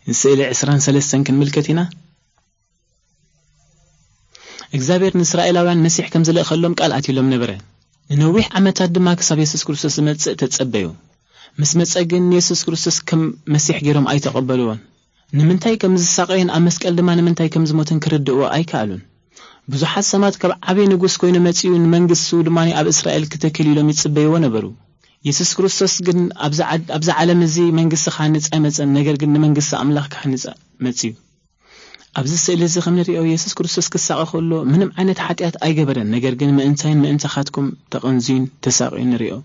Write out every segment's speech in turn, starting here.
ንስእሊ ዕስራን ሰለስተን ክንምልከት ኢና። እግዚኣብሔር ንእስራኤላውያን መሲሕ ከም ዝልእኸሎም ቃል ኣትዩሎም ነበረ። ንነዊሕ ዓመታት ድማ ክሳብ የሱስ ክርስቶስ ዝመጽእ ተጸበዩ። ምስ መጸ ግን ንየሱስ ክርስቶስ ከም መሲሕ ገይሮም ኣይተቐበልዎን። ንምንታይ ከም ዝሳቐየን ኣብ መስቀል ድማ ንምንታይ ከም ዝሞትን ክርድእዎ ኣይከኣሉን። ብዙሓት ሰባት ካብ ዓብዪ ንጉስ ኮይኑ መጺኡ ንመንግስቱ ድማ ኣብ እስራኤል ክተክል ኢሎም ይጽበይዎ ነበሩ። የሱስ ክርስቶስ ግን ኣብዚ ዓድ-፣ ኣብዚ ዓለም እዚ መንግስቲ ክሃንጽ ኣይመጸን፣ ነገር ግን ንመንግስቲ ኣምላኽ ክሃንጽ መጺኡ። ኣብዚ ስእሊ እዚ ከም ንሪኦ የሱስ ክርስቶስ ክሳቐ ከሎ ምንም ዓይነት ሓጢኣት ኣይገበረን፣ ነገር ግን ምእንታይን ምእንታኻትኩም ተቐንዝዩን ተሳቕዩን ንሪኦ።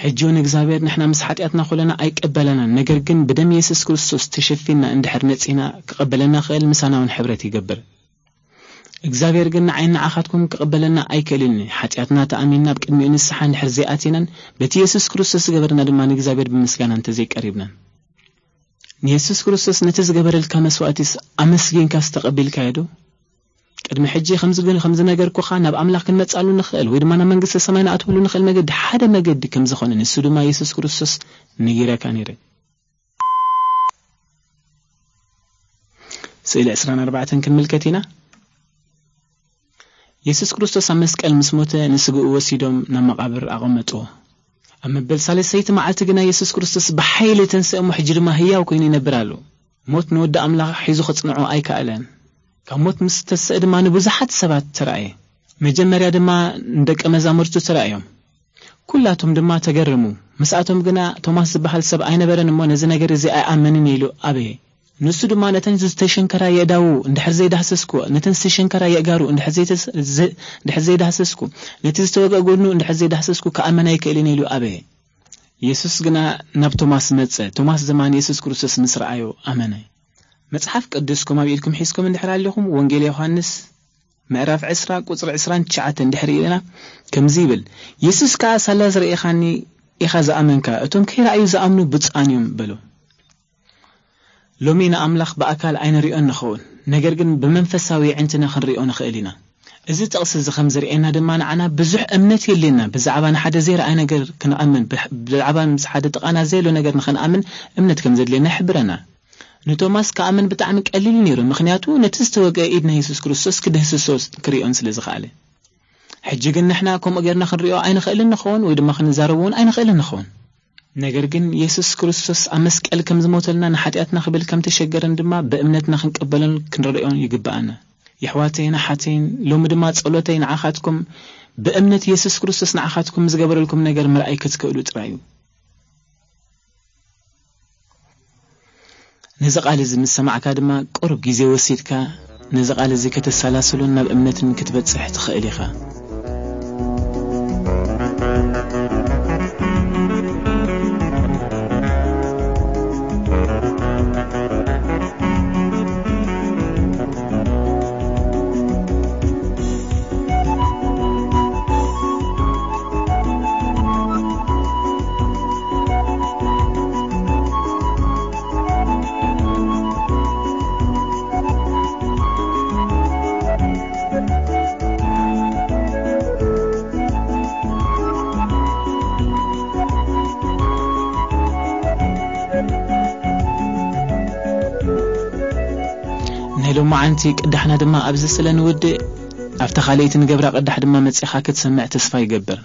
ሕጂ እውን እግዚኣብሔር ንሕና ምስ ሓጢኣትና ኮለና ኣይቀበለናን፣ ነገር ግን ብደም የሱስ ክርስቶስ ተሸፊንና እንድሕር መጺና ክቐበለና ክእል ምሳና እውን ሕብረት ይገብር። እግዚኣብሔር ግን ንዓይን ንዓኻትኩም ክቐበለና ኣይክእልን እዩ። ሓጢኣትና ተኣሚንና ኣብ ቅድሚኡ ንስሓ እንድሕር ዘይኣቲናን በቲ የሱስ ክርስቶስ ዝገበርና ድማ ንእግዚኣብሔር ብምስጋና እንተዘይቀሪብናን። ንየሱስ ክርስቶስ ነቲ ዝገበረልካ መስዋእቲስ ኣመስጊንካስ ተቐቢልካዮ ዶ? ቅድሚ ሕጂ ከምዚ ግን ከም ዝነገርኩኻ ናብ ኣምላኽ ክንመጻሉ ንኽእል ወይ ድማ ናብ መንግስተ ሰማይ ንኣትወሉ ንኽእል መገዲ ሓደ መገዲ ከም ዝኾነ ንሱ ድማ የሱስ ክርስቶስ ነጊረካ ነይረ። ስእሊ ዕስራን ኣርባዕተን ክንምልከት ኢና። የሱስ ክርስቶስ ኣብ መስቀል ምስ ሞተ ንስግኡ ወሲዶም ናብ መቓብር ኣቐመጥዎ። ኣብ መበል ሳልሰይቲ መዓልቲ ግና የሱስ ክርስቶስ ብሓይሊ ተንስእ እሞ ሕጂ ድማ ህያው ኮይኑ ይነብር ኣሎ። ሞት ንወዲ ኣምላኽ ሒዙ ክጽንዖ ኣይከኣለን። ካብ ሞት ምስ ተንስእ ድማ ንብዙሓት ሰባት ተራእየ። መጀመርያ ድማ ንደቀ መዛሙርቱ ተራእዮም። ኩላቶም ድማ ተገረሙ። ምስኣቶም ግና ቶማስ ዝበሃል ሰብ ኣይነበረን እሞ ነዚ ነገር እዚ ኣይኣመንን ኢሉ ኣበየ። ንሱ ድማ ነተን ዝተሸንከራ የእዳዉ እንድሕር ዘይዳህሰስኩ፣ ነተን ዝተሸንከራ የእጋሩ እንድሕር ዘይተስ-፣ ዘ-፣ እንድሕር ዘይዳህሰስኩ፣ ነቲ ዝተወግአ ጎድኑ እንድሕር ዘይዳህሰስኩ ክኣመን ኣይክእልን ኢሉ ኣበየ። የሱስ ግና ናብ ቶማስ መጸ። ቶማስ ድማ ንየሱስ ክርስቶስ ምስ ረኣዮ ኣመነ። መጽሓፍ ቅዱስኩም ኣብ ኢድኩም ሒዝኩም እንድሕር ኣለኹም፣ ወንጌል ዮሃንስ ምዕራፍ ዕስራ ቁጽሪ ዕስራን ትሽዓተን እንድሕር ኢልና ከምዚ ይብል፣ የሱስ ከኣ ሳላ ዝረኤኻኒ ኢኻ ዝኣመንካ፣ እቶም ከይረኣዩ ዝኣምኑ ብፁዓን እዮም በሎ። ሎሚ ንኣምላኽ ብኣካል ኣይንሪኦን ንኸውን፣ ነገር ግን ብመንፈሳዊ ኣዒንትና ክንሪኦ ንኽእል ኢና። እዚ ጥቕሲ እዚ ከም ዘርእየና ድማ ንዓና ብዙሕ እምነት የድልየና። ብዛዕባ ንሓደ ዘይረኣይ ነገር ክንኣምን፣ ብሕ-፣ ብዛዕባ ምስ ሓደ ጥቓና ዘየሎ ነገር ንኽንኣምን እምነት ከም ዘድልየና ይሕብረና። ንቶማስ ክኣምን ብጣዕሚ ቀሊል ነይሩ፣ ምኽንያቱ ነቲ ዝተወግአ ኢድ ናይ የሱስ ክርስቶስ ክድህስሶ ክርእዮን ስለ ዝኸኣለ። ሕጂ ግን ንሕና ከምኡ ጌርና ክንሪኦ ኣይንኽእልን ንኸውን ወይ ድማ ክንዛረብ እውን ኣይንኽእልን ንኸውን። ነገር ግን የሱስ ክርስቶስ ኣብ መስቀል ከም ዝሞተልና ንሓጢኣትና ክብል ከም ተሸገረን ድማ ብእምነትና ክንቀበሎን ክንረድኦን ይግብኣና። የሕዋተይን ኣሓተይን፣ ሎሚ ድማ ጸሎተይ ንዓኻትኩም ብእምነት የሱስ ክርስቶስ ንዓኻትኩም ዝገበረልኩም ነገር ምርኣይ ክትክእሉ ጥራይ እዩ። ነዚ ቃል እዚ ምስ ሰማዕካ ድማ ቁሩብ ግዜ ወሲድካ ነዚ ቃል እዚ ከተሰላስሉን ናብ እምነትን ክትበጽሕ ትኽእል ኢኻ። ናይ ሎማዓንቲ ቅዳሕና ድማ ኣብዚ ስለ ንውድእ፣ ኣብታ ካልኣይቲ ንገብራ ቅዳሕ ድማ መጺኻ ክትሰምዕ ተስፋ ይገብር።